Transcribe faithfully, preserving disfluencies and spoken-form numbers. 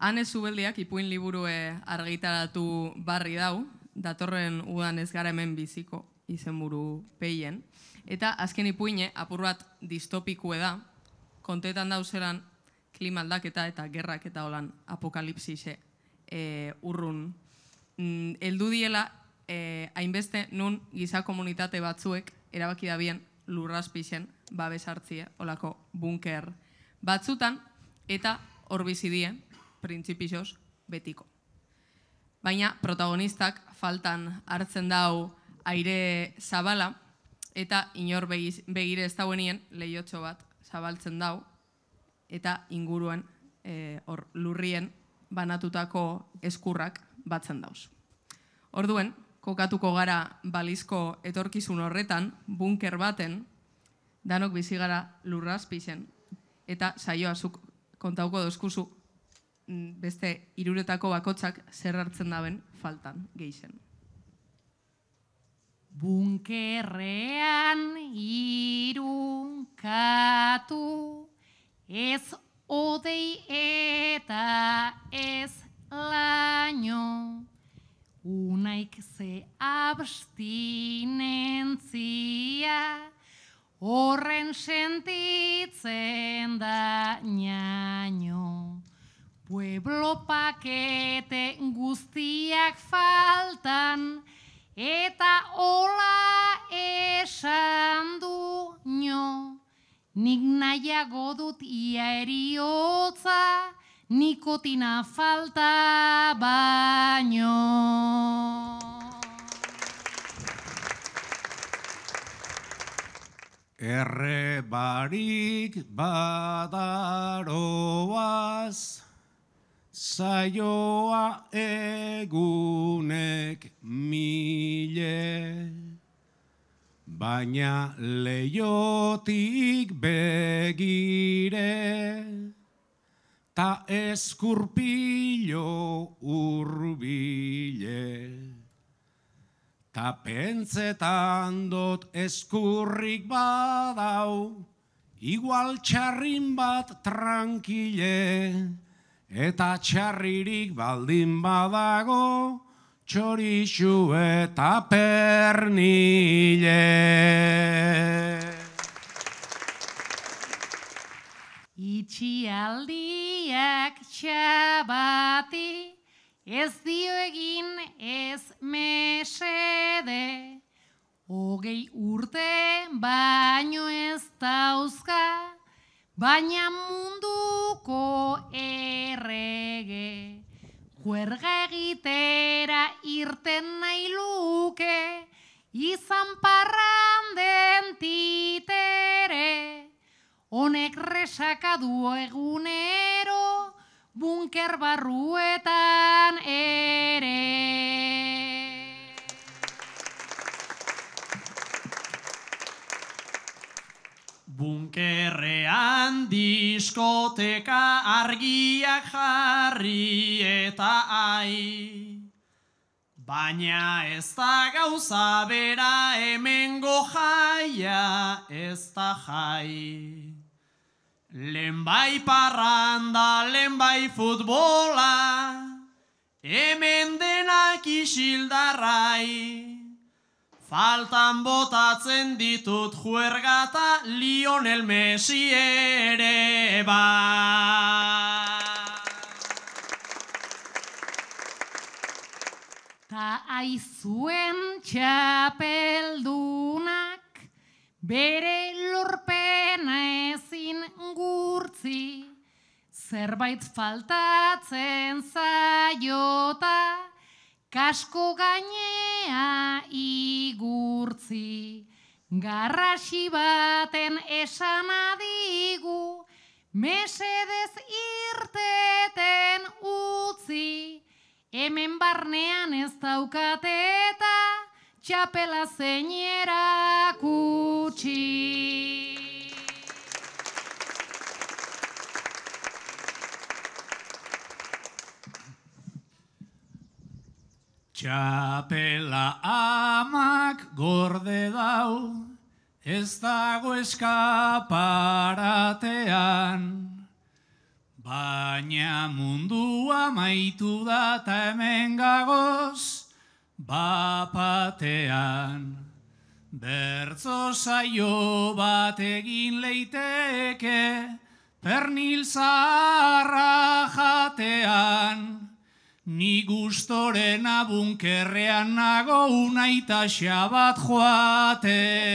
Ane Zubeldiak ipuin liburue argitaratu barri dau, datorren udan ez gara hemen biziko izenburu peien, eta azken ipuine apur bat distopikue da, kontetan dauzeran klima aldaketa eta gerrak eta holan apokalipsise e, urrun mm, eldu diela e, hainbeste nun giza komunitate batzuek erabaki da bien lurraspixen babes hartzie, olako bunker batzutan, eta hor bizidie, printzipixos, betiko. Baina protagonistak faltan hartzen dau aire zabala, eta inor begire ez dauenien lehiotxo bat zabaltzen dau, eta inguruen hor lurrien banatutako eskurrak batzen dauz. Orduen, kokatuko gara balizko etorkizun horretan, bunker baten, danok bizi gara lurrazpixen, eta saioa zuk kontauko dozkuzu beste hiruretako bakotsak zer hartzen daben faltan geixen. Bunkerrean irunkatu, ez odei eta ez laino, unaik ze abstinentzia, horren sentitzen da ñaño. Pueblo pakete guztiak faltan, eta hola esan du nio. Nik nahiago dut ia eriotza, nikotina falta baino. Erre barik badaroaz, saioa egunek mile, baina leiotik begire, ta eskurpilo urbile. Ta pentsetan dot eskurrik badau, igual txarrin bat trankile, eta txarririk baldin badago, txorixu eta pernile. Itxialdiak txabati, ez dio egin ez mesede, hogei urte baino ez dauzka, baina munduko errege. Juerga egitera irten nahi luke, izan parranden titere, honek resaka du egunero, bunker barruetan ere. Bunkerrean diskoteka argiak jarri eta ai, baina ez da gauza bera hemengo jaia ez da jai. Lehenbai parranda, lehenbai futbola, hemen denak isildarrai. Faltan botatzen ditut juergata Lionel Messi ere ba. Ta aizuen txapeldunak, bere lorpena ezin gurtzi, zerbait faltatzen zaiota, kasko gainea igurtzi. Garrasi baten esan adigu, mesedez irteten utzi, hemen barnean ez daukate eta txapela zeinera kutsi. Txapela amak gorde dau, ez dago eskaparatean, Baina mundua maitu da ta hemen gagoz bapatean. Bertzo saio bat egin leiteke pernil zaharra jatean. Ni gustorena bunkerrean nago unaitaxa bat joatean.